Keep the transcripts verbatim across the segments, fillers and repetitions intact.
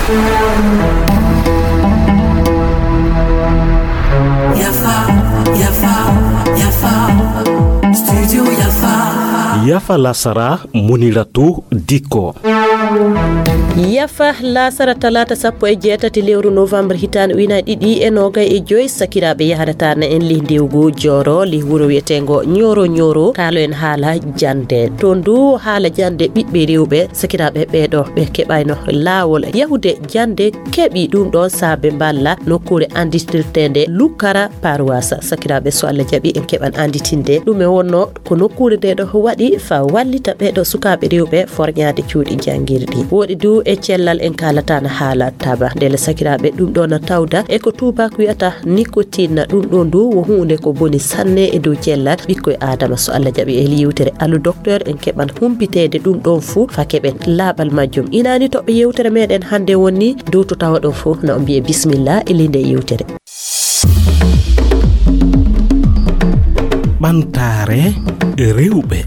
Yafa, yafa, yafa. Studio Yafa. Yafa lasara, Muniratu Diko. Yafa lasara talaata sappo e jeetati lewru novembre hitaande ujunaaji ɗiɗi e noogay e joy, sakiraaɓe yahrata na en lih ndewgu Jooro, lih wuro wiyeteengo Ñooro Ñooro, kaalo en haala jannde. Toon du haala jannde ɓiɓɓe rewɓe, sakiraaɓe ɓeeɗo ɓe keɓayno laawol yahude jannde, keɓi ɗum ɗoon saabe mballa nokkuure annditirteende Lukara Parwasa. Sakiraaɓe, so Allah jaɓi, en keɓan annditinde ɗum e wonno ko nokkuure nde ɗo waɗi faa wallita ɓeeɗo sukaaɓe rewɓe forñaade cuuɗi janngirɗi. Woɗi du e cellal en kaalataana haala taba. Ndelle sakiraaɓe, ɗum ɗo na tawda e ko tuubaak wiyata nicotine. Ɗum ɗo ndu wo huunde ko boni sanne e dow cellal ɓikkoy Aadama. So Allah jaɓi e yewtere Allo Docteur en keɓan humpiteede ɗum ɗon fuu faa keɓen laaɓal majjum. Inaani toɓɓe yewtere meɗen hannde woni dow to tawa ɗon fuu na o mbiye bismillah e linde yewtere. Ɓantaare rewɓe.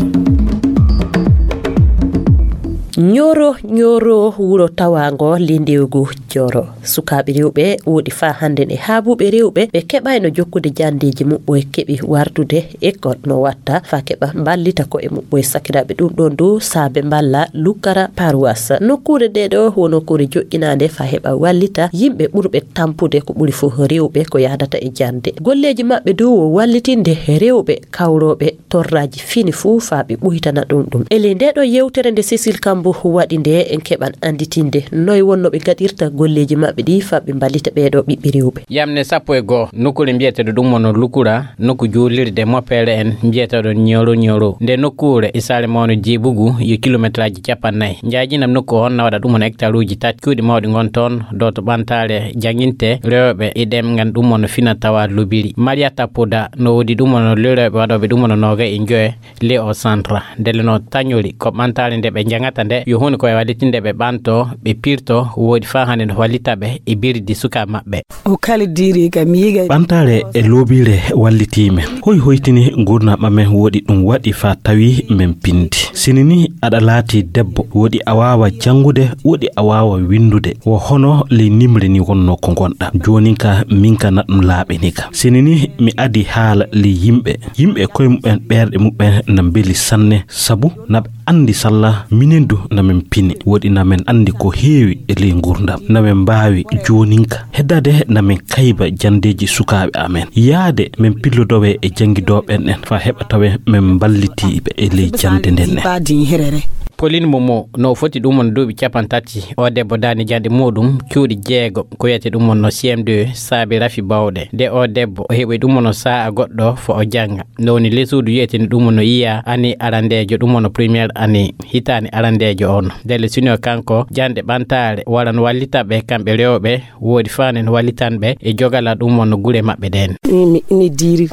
Ñooro, Ñooro wuro tawaango lindewgu Jooro. Sukaaɓe rewɓe woɗi faa hannden e haabuɓe rewɓe ɓe keɓayno jokkude janndeeji muɓɓoy keɓi wartude école no watta faa keɓa mballita ko'e muɓɓoy sakiraaɓe. Ɗum ɗon du saabe mballa Lukara Parwasa. Nokkuure nde ɗo wo nokkuure joƴƴinaande faa heɓa wallita yimɓe ɓurɓe tampude ko ɓuri fof rewɓe ko yahdata e jannde. Golleeji maɓɓe du wo wallitinde rewɓe kawrooɓe torraaji fini fuu faa ɓe ɓuytana ɗum ɗum. E ley nde ɗo yewtere nde Cécile Kambou waɗi nde en keɓan annditinde noy wonno ɓe ngaɗirta golleeji maɓɓe ɗi faa ɓe mballita ɓee ɗo ɓiɓɓe rewɓe. Yamne sappo e goo, nokkuure mbiyeteeɗo ɗum wonno Lukura, nokku juulirde moppeere en mbiyeteeɗo Ñooro Ñooro. Nde nokkuure e saare mawno Jeebugu yo kilometraaji cappannayi. Njaajinam nokku on na waɗa ɗum won hectaruuji tati. Cuuɗi mawɗi ngon toon, dow to ɓantaare jannginte rewɓe e ɗemngal ɗum wonno fina tawa lobiri. Mariata Poda no woodi ɗum wonno lirooɓe waɗooɓe ɗum wonno noogay e njoye. Leo Centre, ndelle no tañori ko ɓantaare nde ɓe njaŋata nde, yo huunde ko e wallitinde ɓe ɓanto, ɓe pirto, woodi faa hannde no wallita ɓe e birdi suka maɓɓe. O kala diiri kam yiga. Ɓantaare e loobiire wallitii men. Hoy hoytini nguurndam amen woodi ɗum waɗi faa tawi men pindi. Sini ni aɗa laati debbo, woodi a waawa janngude, woodi a waawa winndude. Wo hono ley nimre ni wonno ko ngonɗa. Joonin ka min ka na ɗum laaɓini ka. Sini ni mi adi haala ley yimɓe. Yimɓe koye muɓɓen ɓerɗe muɓɓen na mbeli sanne, sabu na ɓe anndi salla minen du na min pini. Woɗi na min anndi ko heewi e ley nguurndam. Na min mbaawi jooninka. Heddade na min kayba janndeeji sukaaɓe amen. Yaade min pillodowe e janngidooɓe en faa heɓa tawe min mballitiiɓe e ley jannde nden. Pauline Momo no foti ɗum won duuɓi cappanɗe tati. O debbo daani jannde muuɗum cuuɗi jeego, ko wiyete ɗum won no C M deux, saabi rafi bawɗe. Nde o debbo o heɓi ɗum won no saa'a goɗɗo fo o jannga. Nde woni ley suudu wiyete ni ɗum won no yiya ani arandeejo, ɗum won no première année, hitaani arandeejo on. Ndelle sino kanko jannde ɓantaare waran wallita ɓe kamɓe rewɓe, woodi faanen wallitanɓe e jogala ɗum won no gure maɓɓe ɗen. Mi, mi, mi diiri.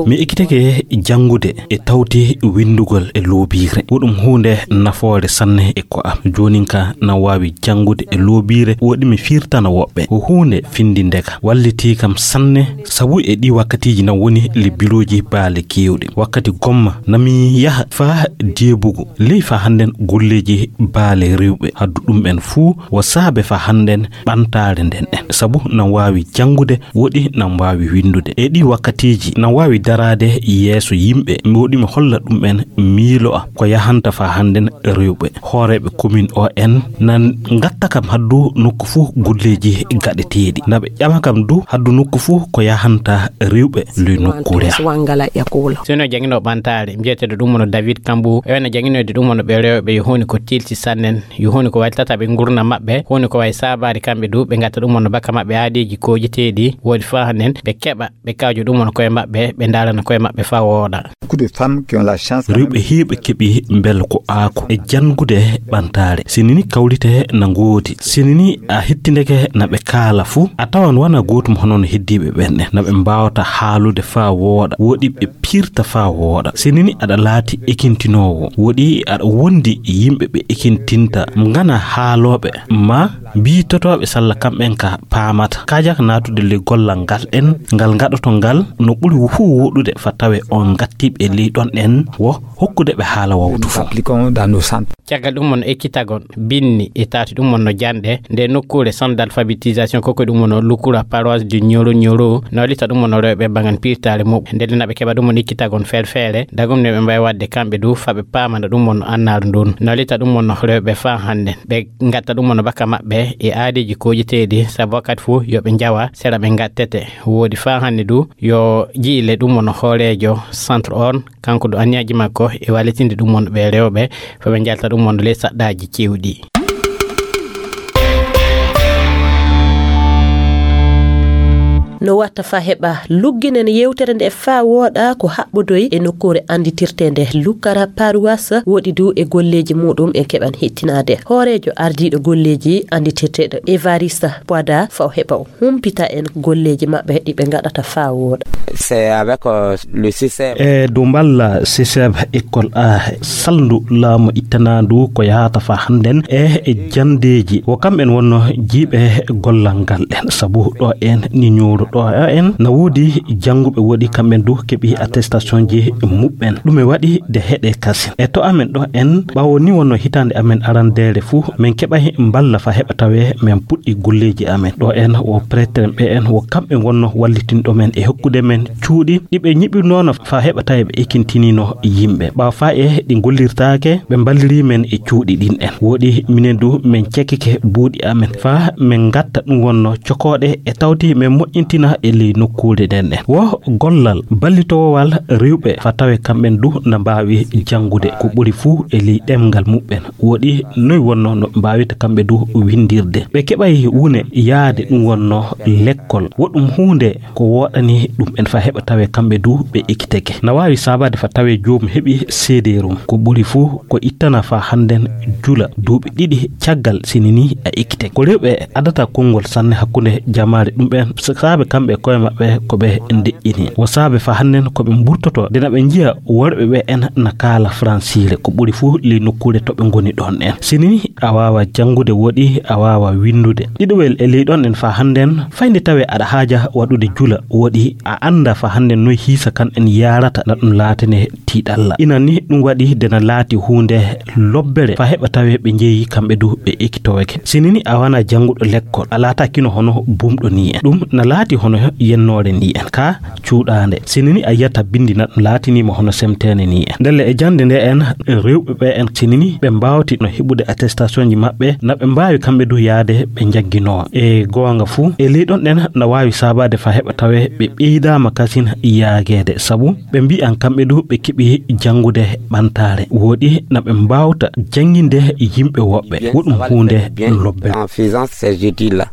Mi ekkitake janngude e tawti winndugol e loobiire. Wo ɗum huunde nafoore sanne e ko am. Joonin ka na waawi janngude e loobiire, woɗi mi firtana woɓɓe. Ko huunde findinde ka. Wallitii kam sanne, sabu e ɗi wakkatiiji na woni le birooji baale keewɗi. Wakkati gomma na mi yaha faa deebugu. Ley faa hannden golleeji baale rewɓe. Haddu ɗum en fuu wo saabe faa hannden ɓantaare nden en. Sabu na waawi janngude woɗi na mbaawi winndude. E ɗi wakkatiiji na waawi daraade yeeso yimɓe, woɗi mi holla ɗum en miilo a ko yahanta faa hannden rewɓe. Hooreeɓe commune o en na ngatta kam haddu nokku fuu golleeji gaɗeteeɗi. Na ɓe ƴama kam du haddu nokku fuu ko yahanta rewɓe ley nokkuure am. Sino jannginoo ɓantaare, mbiyeteeɗo ɗum won no David Kambu, e wona jannginoyde ɗum won no ɓe rewɓe yo huuni ko tilsi sannen. Yo huunde ko waylitata ɓe nguurndam maɓɓe, huunde ko wayi saabaade kamɓe du, ɓe ngatta ɗum won no baka maɓɓe aadiiji koojeteeɗi, woodi faa hannden ɓe keɓa, ɓe kawjo ɗum won koye maɓɓe, ɓe ndaalana koye maɓɓe faa wooɗa. Beaucoup de femmes qui ont la chance quand même. Rewɓe heewɓe keɓi mbel ko aako e janngude ɓantaare. Sini ni kawrite na ngoodi. Sini ni a hettindeke na ɓe kaala fuu, a tawan wona gootum hono no heddiiɓe ɓen ɗen. Na ɓe mbaawata haalude faa wooɗa, woɗi ɓe pirta faa wooɗa. Sini ni aɗa laati ekintinoowo, woɗi aɗa wondi yimɓe ɓe ekintinta, ngana haalooɓe ma Mbiitotooɓe salla kamɓen ka paamata kaajaka naatude ley gollal ngal ɗen ngal ngaɗoto ngal no ɓuri fuu wooɗude fa tawe on ngattiiɓe ley ɗon ɗen wo hokkude ɓe haala wawtu fuu. Caggal ɗum mon ekkitagon binni e taati ɗum mon no janɗe nde nokkuure centre d'alphabétisation koko ɗum mon lukura paroisse du Nioro Nioro no lita ɗum mon rewɓe bangan pirtaare muɓɓe nde naɓe keɓa ɗum mon ekkitagon ferfere dagum ne ɓe mbawi wadde kamɓe du faɓe paamana ɗum mon annar ndun no lita ɗum mon rewɓe fa hande ɓe gatta ɗum mon baka maɓɓe e aadeji koƴeteɗi sabu wakkati fuu yo ɓe njawa sera ɓe gattete woodi fa hande du yo jiile ɗum mon hoorejo centre on kanko du anniyaji makko e walitinde ɗum mon ɓe rewɓe fa ɓe njalta ɗum mon ley saɗɗaji cewɗi. No watta fa heɓa lugginen yewtere nde fa wooɗa ko haɓɓodoy e nokkuure anditirteende lukkara paruwas woɗi du e golleeji muɗum en keɓan hettinaade hooreejo ardiiɗo golleeji anditirteeɗo evarista poida fa o heɓa o humpita en golleeji maɓɓe ɗi ɓe ngaɗata fa wooɗa. C'est avec euh, le C C M. E dow mballa C C M école A salndu laamu ittanandu ko yahata fa hannden e e jandeeji wo kamɓen wonno jiiɓe gollal ngal ɗen sabu ɗo en ni ñuuru ɗo en na woodi jannguɓe woɗi kamɓen du keɓi attestation ji muɓɓen ɗum e waɗi de heɗe kasin e to amen ɗo en ɓawo ni wonno hitande amen arandeere fuu min keɓay mballa fa heɓa tawe min puɗɗi golleeji amen ɗo en wo prêtre ɓe en wo kamɓe wonno wallitinɗo men e hokkude men cuuɗi ɗi ɓe ñiɓirnono fa heɓa tawe ɓe ekintinino yimɓe ɓawa fa e ɗi gollirtaake ɓe mballiri men e cuuɗi ɗin en woɗi minen du min cekkike buuɗi amen fa min gatta ɗum wonno cokooɗe e tawti min moƴƴintina e ley nokkuure nden en wo gollal ballitowowal rewɓe fa tawe kamɓen du na mbaawi janngude ko ɓuri fuu e ley ɗemngal muɓɓen woɗi noy wonno no ɓe mbaawita kamɓe du winndirde ɓe keɓay wune yaade ɗum wonno lekkol woɗɗum huunde ko woɗani ɗum en fa heɓa tawe kamɓe du ɓe ekiteke na waawi saabaade fa tawe joomum heɓi seedeerum ko ɓuri fuu ko ittana fa hannden jula duuɓi ɗiɗi caggal sini ni a ekkite ko rewɓe adata konngol sanne hakkunde jamaare ɗum ɓen saabe kamɓe koye maɓɓe ko ɓe ndeƴƴini wo saabe fa hannden ko ɓe mburtoto nde na ɓe njiya worɓe ɓe en na kaala fransiire ko ɓuri fuu ley nokkuure to ɓe ngoni ɗon en sini ni a waawa janngude woɗi a waawa winndude ɗiɗowel e ley ɗon en fa hannden fayde tawe aɗa haaja waɗude jula woɗi a annda fa hannden noy hiisa kan en yaarata na ɗum laatane tiiɗalla inan ni ɗum waɗi nde na laati huunde lobbere fa heɓa tawe ɓe njeeyi kamɓe du ɓe ekitoweke sini ni a wana jannguɗo lekkol a laatakino hono bumɗo ni en ɗum na laati hono yennoore ni en ka cuuɗaande sini ni a yiyata bindi na ɗum laatinima hono semteene ni en ndelle e jannde nde en rewɓe ɓe en sini ni ɓe mbaawti no heɓude attestation ji maɓɓe na ɓe mbaawi kamɓe du yaade ɓe njagginoo e goonga fuu e ley ɗon ɗen na waawi saabaade fa heɓa tawe ɓe ɓeydaama kasin yaageede sabu ɓe mbiyan kamɓe du ɓe keɓi janngude ɓantaare woɗi na ɓe mbaawta jannginde yimɓe woɓɓe woɗum huunde lobbe En faisant ces études-là.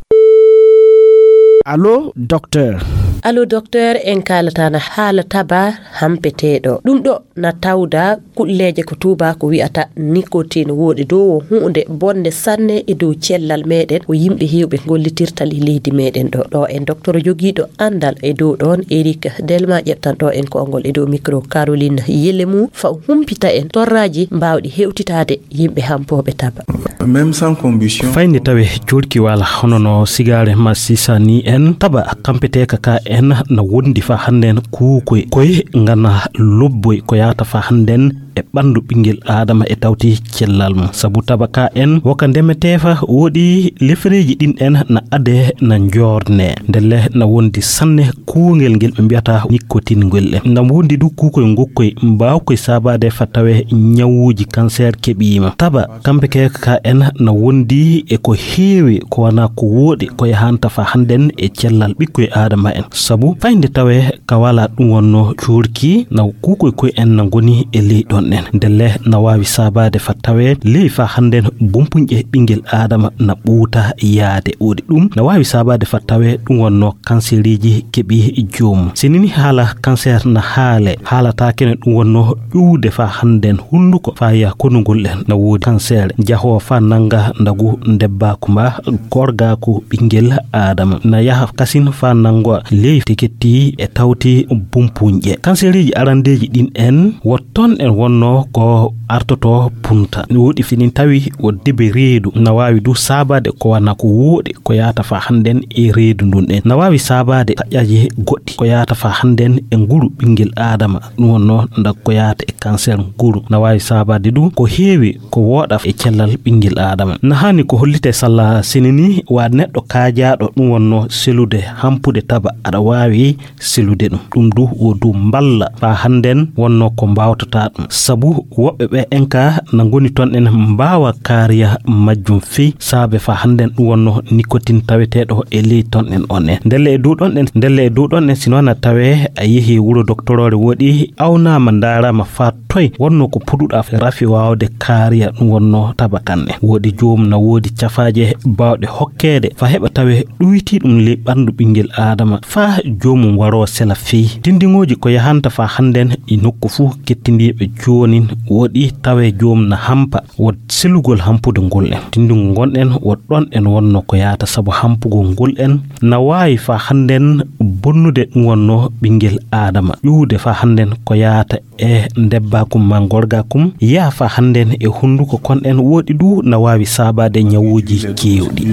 Allo docteur. Allo docteur en kaalatana haala taba hampeteeɗo ɗum ɗo na tawda kulleeje ko tuubaaku wi'ata nicotine woodi dow o huunde bonde sanne e dow cellal meɗen ko yimɓe heewɓe gollitirta li leydi meɗen ɗo ɗo en docteur jogiiɗo anndal e dow ɗoon Eric Delma ƴeɓtan ɗo en konngol e dow micro Caroline Yelemu fa o humpita en torraaji mbaawɗi hewtitaade yimɓe hampooɓe taba. Même sans combustion. Fayde tawe cuurki wala hono no sigaare ma sisani en taba kampeteeka ka en na wondi fa hannden kuukoy koy ngana lobboy ko yahata fa hannden e ɓanndu ɓinngel aadama e tawti cellal mum sabu taba ka en woka ndemeteefa woɗi lefereeji ɗin en na ade na njoorne ndelle na wondi sanne kuungel ngel ɓe mbiyata nikkotingol en na wondi du kuukoy ngokkoy mbaawkoy saabaade fa tawe ñawuuji kanseer keɓiima taba kampeteeka ka en na wondi e ko heewi ko wana ko wooɗi ko yahanta fa hannden e cellal ɓikkoy aadama en sabu fayde tawe ka wala ɗum wonno cuurki na kuukoy koy en na ngoni e ley ɗon en ndelle na waawi saabaade fa tawe ley fa hannden bumpuñƴe ɓinngel aadama na ɓuuta yaade woɗi ɗum na waawi saabaade fa tawe ɗum wonno kansereeji keɓi joomum sinini haala kanseer na haale haalataake no ɗum wonno ƴuwde fa hannden hunnduko fa ya konugol en na woodi kanseer jahoo fa nannga ndagu ndebbaaku mba gorgaaku ɓinngel aadama na yaha kasin fa nanngo ley tiketti e tawti bumpuñƴe kansereeji arandeeji ɗin en wotton en wonno no ko artoto punta. Woɗi finin tawi o debe reedu, na waawi du saabaade ko wana ko wooɗi ko yaata fa hannden e reedu ndun ɗen. Na waawi saabaade taƴaaji goɗɗi ko yaata fa hannden e nguru ɓinngel Aadama. Ɗum wonno nda ko yaata e kanser nguru. Na waawi saabaade du ko heewi ko wooɗa e cellal ɓinngel Aadama. Na haani ko hollite salla sinini wa neɗɗo kaajaaɗo ɗum wonno selude hampude taba aɗa waawi selude ɗum. Ɗum du wo du mballa fa hannden wonno ko mbaawtata ɗum. Sabu woɓɓe ɓe en ka na ngoni ton en mbaawa kaariya majjum fii saabe fa hannden ɗum wonno nicotine taweteeɗo e ley ton en on en. Ndelle e dow ɗon en, ndelle e dow ɗon en, sino na tawe a yehi wuro doktoroore woɗi, awnaama, ndaaraama fa toy wonno ko puɗuɗa rafi waawde kaariya ɗum wonno tabakan en. Woɗi joom na woodi cafaaje baawɗe hokkeede fa heɓa tawe ɗuyti ɗum ley ɓanndu ɓinngel Aadama fa joomum waroo sela fii. Tindiŋooji ko yahanta fa hannden e nokku fuu kettindiiɓe joonin woɗi tawe joom na hampa wo selugol hampude ngol en. Tinndungu ngon en wo ɗon en wonno ko yaata sabu hampugol ngol en na waawi fa hannden bonnude ɗum wonno ɓinngel Aadama. Ƴuwde fa hannden ko yaata e ndebbaakum ma ngorgaakum, yaha fa hannden e hunnduko kon en woɗi du na waawi saabaade ñawuuji keewɗi.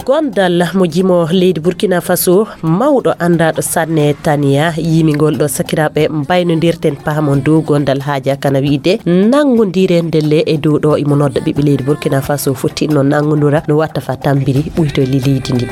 Gondal mo jimo leydi Burkina Faso, mawɗo anndaɗo sanne Tania, yimi ngol ɗo sakiraaɓe mbaynondirten pahamon dow gondal haaja kana wiide nanngondire ndelle e dow ɗo imo nodda ɓiɓɓe leydi Burkina Faso fottinno nanngondura no watta fa tambiri ɓuyto li leydi ndi.